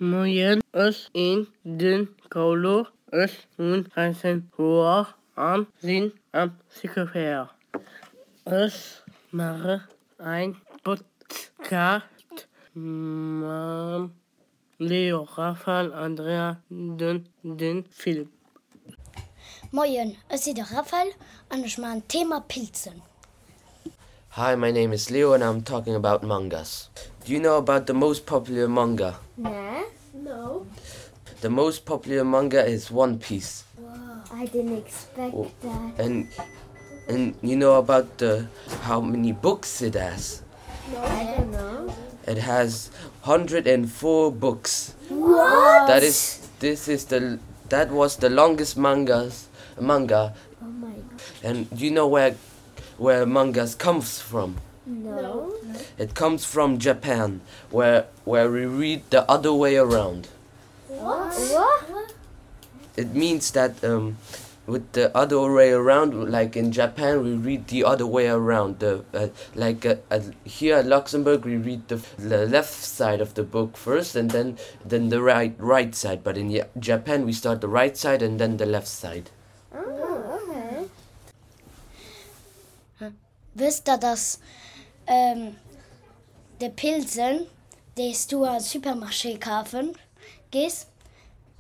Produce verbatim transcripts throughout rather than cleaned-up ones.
Moien, ech sinn den Carlo, ech hunn dräizéng Joer an sinn am Cycle véier. Ech maachen ein Podcast mam Leo, Raphael, Andrea an den Philipp. Moien, ech sinn de Raphael an ech maachen Thema Pilzen. Hi, my name is Leo and I'm talking about mangas. Do you know about the most popular manga? Nee. No. The most popular manga is One Piece. I didn't expect Oh. that. And and you know about the how many books it has? No. I don't know. It has hundred and four books. What? That is this is the that was the longest mangas manga. Oh my god. And do you know where where mangas comes from? No. It comes from Japan, where where we read the other way around. What? What? It means that um, with the other way around, like in Japan, we read the other way around. The uh, like uh, uh, here at Luxembourg, we read the, the left side of the book first, and then then the right right side. But in Japan, we start the right side and then the left side. Oh, okay. Wësst der, dass ähm, de Pilzen, déi s du am Supermarché kafe gees,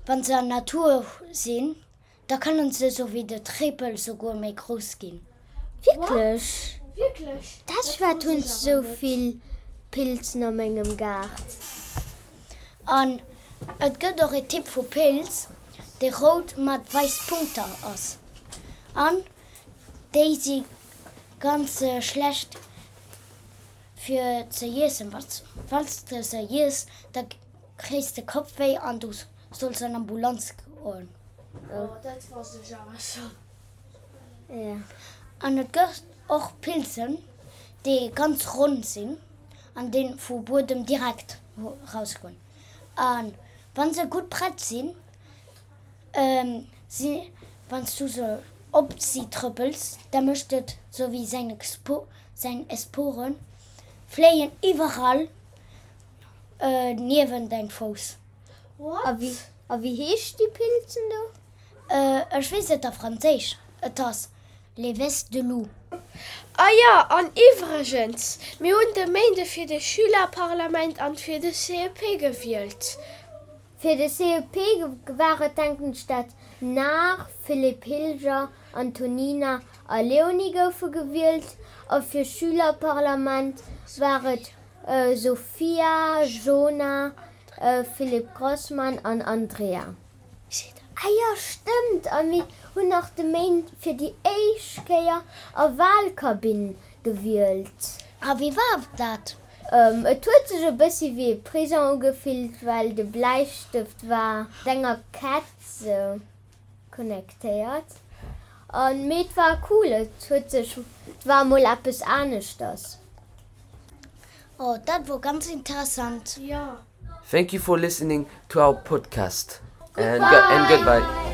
wann se an Natur sinn, da kënnen se sou wéi de Tréppel souguer méi grouss ginn. Wierklech? Wierklech? Dat wat hunn sou vill Pilzen a mengem Gaart. An et gëtt och e Typ vu Pilz, dee rout mat wäiss Punkter ass. An déi si ganz äh, schlecht fir ze iessen. Wann s de se iess, da kriss de Kappwéi an du solls an Ambulanz goen. Oh, dat wousst ech awer schonn. Ja. An et gëtt och Pilzen, déi ganz ronn sinn an déi vum Buedem direkt rausgoen. An wann se gutt prett sinn, ähm, si, wann s du se op si trëppels, da mécht et sou wéi seng Spo seng Sporen fléien iwwerall äh, niewent däin Fouss. What? A wéi, a wéi heeschen déi Pilzen do? Äh, ech weess et a Franséisch. Et ass les vestes de loup. Ah ja, an iwwregens, mir hunn de Méinde fir de Schülerparlament an fir de C E P gewielt. Fir de C E P war et denken ech dat nach Philipp Hilger, Antonina a Leonie goufe gewielt a fir Schülerparlament war et äh, Sophia, Jona, äh, Philipp Grossmann an Andrea. Ah ja, stëmmt a mir hunn nach de Méinde fir déi éischt Kéier a Walkabinn gewielt. A wéi war dat? Ähm, et huet sech e bësse wéi Prison ugefillt, well de Bläistëft war enger Kett sou connectéiert. An mee et war cool, et huet sech et war mol eppes aneschters. Oh, dat war ganz interessant. Ja. Thank you for listening to our podcast. And, go- and goodbye.